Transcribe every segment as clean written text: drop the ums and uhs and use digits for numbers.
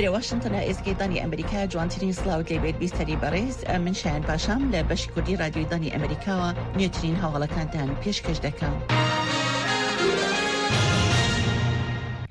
ئێرە واشنتنە ئێزگەی دەنگی ئەمریکا جوانترین سڵاوت لێبێت بیستەری بەڕێز من شایان پاشام لە بەشی کوردی رادیۆی دەنگی ئەمریکاوە نوێترین هەواڵەکانتان پێشکەش دەکەم.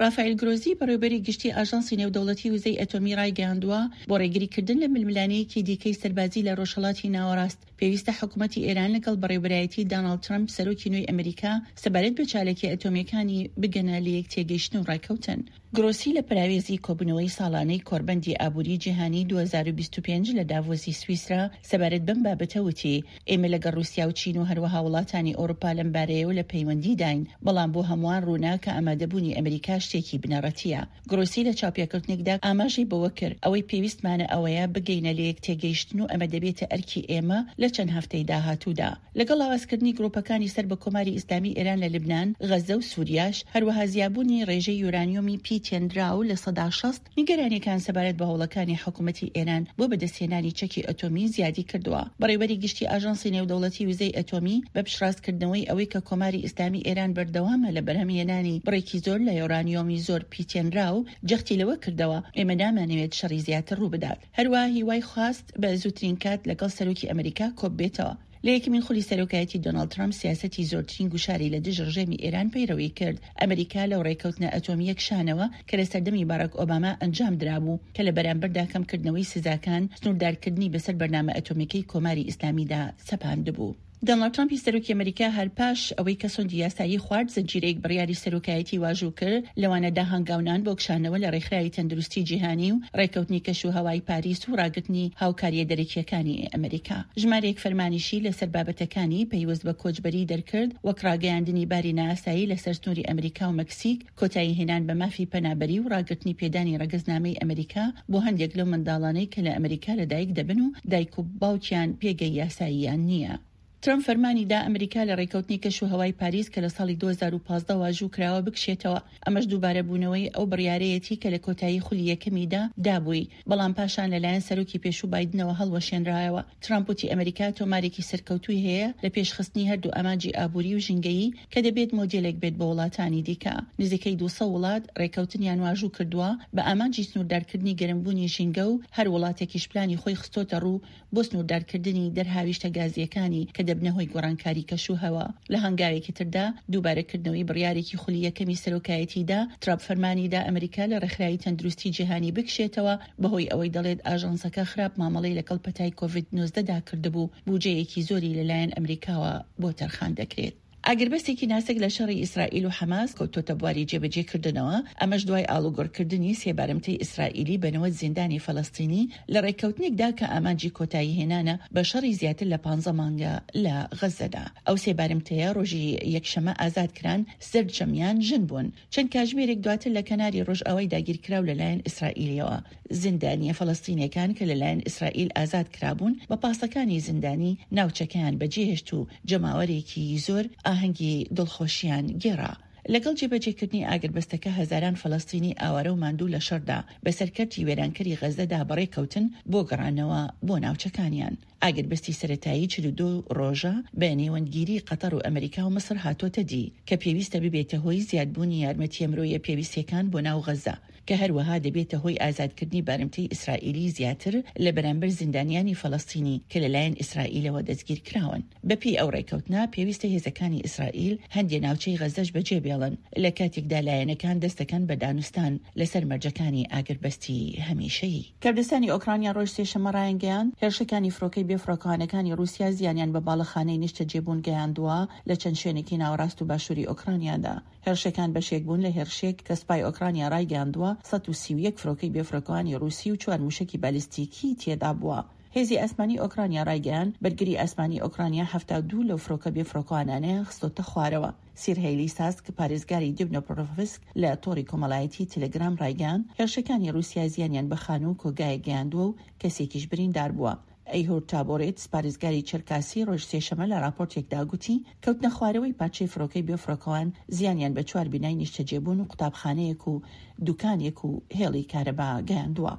ڕافائیل گرۆزی بەڕێوبەری گشتی ئاژانسی نێودەوڵەتی وزەی ئەتۆمی ڕایگەیاندووە، بۆ ڕێگریکردن لە ململانێیەکی دیکەی سەربازی لە ڕۆژهەڵاتی ناوەڕاست، پێویستە حکومەتی ئێران لەگەڵ بەڕێوبەرایەتی داناڵد ترەمپ سەرۆکی نوێی ئەمریکا سەبارەت بە چاالکیە ئەتۆمییەکانی بگەنە لەیەکتێگەیشتن و ڕێککەوتن. گرۆسی لە پەراوێزی کۆبوونەوەی ساڵانەی کۆڕبەندی ئابووری جیهانی 2025 لە داڤۆسی سویسرا سەبارەت بەم بابەتە وتی، ئێمە لەگەڵ ڕووسیا و چین و هەروەها وڵاتانی ئەوروپا لەم بارەیەوە لە پەیوەندیداین، بەڵام بۆ هەمووان ڕوونە کە ئامادەبوونی ئەمریکا شتێکی بنەڕەتییە. گرۆسی لە چاوپێکەوتنێکدا ئاماژەی بەوە کرد، ئەوەی پێویستمانە ئەوەیە بگەینە لەیەکتێگەیشتن و ئەمە دەبێتە ئەرکی ئێمە لە چەند هەفتەی داهاتوودا. لەگەڵ لاوازکردنی گروپەکانی سەر بە کۆماری ئیسلامی ئێران لە لبنان، غەززە و سوریاش، هەروەها زیابوونی ڕێژەی یۆرانیۆمی پیتێنراو 60%، نیگەرانییەکان سەبارەت بە هەوڵەکانی حکومەتی ئێران بۆ بەدەستهێنانی چەکی ئەتۆمی زیادی کردووە. بەڕێوەبەری گشتی ئاژانسی نێودەوڵەتی وزەی ئەتۆمی بە پشتڕاستکردنەوەی ئەوەی کە کۆماری ئیسلامی ئێران بەردەوامە لە بەرهەمهێنانی بڕێکی زۆر لە یۆرانیۆمی زۆر پیتێنراو، جەختی لەوە کردەوە، ئێمە نامانەوێت شەڕی زیاتر ڕووبدات. هەروەها هیوای خواست بە زووترین کات لەگەڵ سەرۆکی ئەمریکا کۆببێتەوە. لە یەکەمین خولی سەرۆکایەتی دۆناڵد ترەمپ سیاسەتی زۆرترین گوشاری لە دژ ڕژێمی ئێران پەیڕەوی کرد. ئەمریکا لەو ڕێککەوتنە ئەتۆمییە کشانەوە کە لە سەردەمی باراک ئۆباما ئەنجام درابوو کە لە بەرامبەردا کەمکردنەوەی سزاکان، سنووردارکردنی بەسەر بەرنامە ئەتۆمییەکەی کۆماری ئیسلامیدا سەپاندبوو. دۆناڵد ترەمپی سەرۆکی ئەمریکا هەر پاش ئەوەی کە سۆندی یاسایی خوارد، زنجیرەیەک بڕیاری سەرۆکایەتی واژوو کرد، لەوانە دا هەنگاونان بۆ کشانەوە لە ڕێکخراوی تەندروستی جیهانی و ڕێککەوتنی کەشوهەوای پاریس و ڕاگرتنی هاوکارییە دەرەکییەکانی ئەمریکا. ژمارەیەک فەرمانیشی لەسەر بابەتەکانی پەیوەست بە کۆچبەری دەرکرد، وەک ڕاگەیاندنی باری نائاسایی لەسەر سنووری ئەمریکا و مەکسیک، کۆتایی هێنان بە مافی پەنابەری و ڕاگرتنی پێدانی ڕەگەزنامەی ئەمریکا بۆ هەندێک لەو منداڵانەی کە لە ئەمریکا لەدایک دەبن و دایک و باوکیان پێگەی یاساییان نییە. ترەمپ فەرمانی دا ئەمریکا لە ڕێککەوتنی کەشوهەوای پاریس کە لە ساڵی 2015 واژوو کراوە بکشێتەوە، ئەمەش دووبارەبوونەوەی ئەو بڕیارەیەتی کە لە کۆتایی خولی یەکەمیدا دابووی، بەڵام پاشان لەلایەن سەرۆکی پێشوو بایدنەوە هەڵوەشێنرایەوە. ترەمپ وتی ئەمریکا تۆمارێکی سەرکەوتووی هەیە لە پێشخستنی هەردوو ئامانجی ئابووری و ژینگەیی کە دەبێت مۆدێلێک بێت بۆ وڵاتانی دیکە. نزیکەی 200 وڵات ڕێککەوتنیان واژوو کردووە بە ئامانجی سنووردارکردنی گەرمبوونی ژینگە و هەر وڵاتێکیش پلانی خۆی خستۆتە ڕوو بۆ سنووردارکردنی دەرهاویشتە گازییەکانی کە دەبنە هۆی گۆڕانکاری کەشوهەوا. لە هەنگاوێکی تردا، دووبارەکردنەوەی بڕیارێکی خولی یەکەمی سەرۆکایەتیدا، ترەمپ فەرمانی دا ئەمریکا لە ڕێکخراوی تەندروستی جیهانی بکشێتەوە بەهۆی ئەوەی دەڵێت ئاژانسەکە خراپ مامەڵەی لەگەڵ پەتای کۆڤید 19 دا کردبوو، بوجەیەکی زۆری لەلایەن ئەمریکاوە بۆ تەرخان دەکرێت. ئاگربەستێکی ناسک لە شەڕی ئیسرائیل و حەماس کەوتۆتە بواری جێبەجێکردنەوە، ئەمەش دوای ئاڵوگۆڕکردنی سێ بارمتەی ئیسرائیلی بە 90 زیندانی فەلەستینی لە ڕێککەوتنێکدا کە ئامانجی کۆتاییهێنانە بە شەڕی زیاتر لە پانزە مانگە لە غەززەدا. ئەو سێ بارمتەیە ڕۆژی یەکشەممە ئازاد کران، سەرجەمیان ژن بوون. چەند کاژمێرێک دواتر لە کەناری ڕۆژئاوای داگیرکراو لەلایەن ئیسرائیلیەوە زیندانییە فەلەستینیەکان کە لەلایەن ئیسرائیل ئازاد کرابوون بە پاسەکانی زیندانی ناوچەکەیان بەجێهێشت و جەماوەرێکی زۆر ئاهەنگی دڵخۆشیان گێڕا. لەگەڵ جێبەجێکردنی ئاگربەستەکە هەزاران فەلەستینی ئاوارە و ماندوو لە شەڕدا بەسەر کەرتی وێرانکەری غەززەدا بەڕێکەوتن بۆ گەڕانەوە بۆ ناوچەکانیان. ئاگربەستی سەرەتایی 42 ڕۆژە بە نێوەندگیری قەتەر و ئەمریکا و میسر هاتۆتە دی، کە پێویستە ببێتە هۆی زیادبوونی یارمەتییە مرۆیە پێویستییەکان بۆ ناو غەززە، کە هەروەها دەبێتە هۆی ئازادکردنی بارمتەی ئیسرائیلی زیاتر لە بەرامبەر زیندانیانی فەلەستینی کە لەلایەن ئیسرائیلەوە دەستگیرکراون. بەپێی ئەو ڕێککەوتنە، پێویستە هێزەکانی ئیسرائیل هەندێ ناوچەی غەززەش بەجێبێڵن، لە کاتێکدا لایەنەکان دەستدەکەن بە دانوستان لەسەر مەرجەکانی ئاگربەستی هەمیشەیی. کەردستانی ئۆکرانیا ڕۆژ سێشەممە ڕایانگەیاند، هێرشەکانی فڕۆکەی بێفڕۆکەوانەکانی ڕووسیا زیانیان بە باڵەخانەی نیشتەجێبوون گەیاندووە لە چەند شوێنێکی ناوەڕاست و باشووری ئۆکرانیادا. هێرشەکان بەشێک بوون لە هێرشێک کە سوپای ئۆکرانیا ڕایگەیاندووە 131 فڕۆکەی بێفڕۆکەوانی ڕووسی و چوار مووشەکی بالیستیکی تێدابووە. هێزی ئاسمانی ئۆکرانیا ڕایگەیاند، بەرگری ئاسمانی ئۆکرانیا 72 لەو فڕۆکە بێفڕۆکەوانانەیان خستۆتە خوارەوە. سیرهەی لیساسک، پارێزگاری دبنۆپرۆڤسک لە تۆڕی کۆمەڵایەتی تەلەگرام ڕایگەیاند، هێرشەکانی ڕووسیا زیانیان بە خانوو و کۆگایەک گەیاندووە و کەسێکیش بریندار بووە. ئەیهور تابۆرێتس، پارێزگاری چێرکاسی ڕۆژ سێشەممە لە ڕاپۆرتێکدا گوتی، کەوتنەخوارەوەی پارچەی فڕۆکەی بێفڕۆکەوان زیانیان بە چوار بینای نیشتەجێبوون و قوتابخانەیەک و دوکانێک و هێڵی کارەبا گەیاندووە.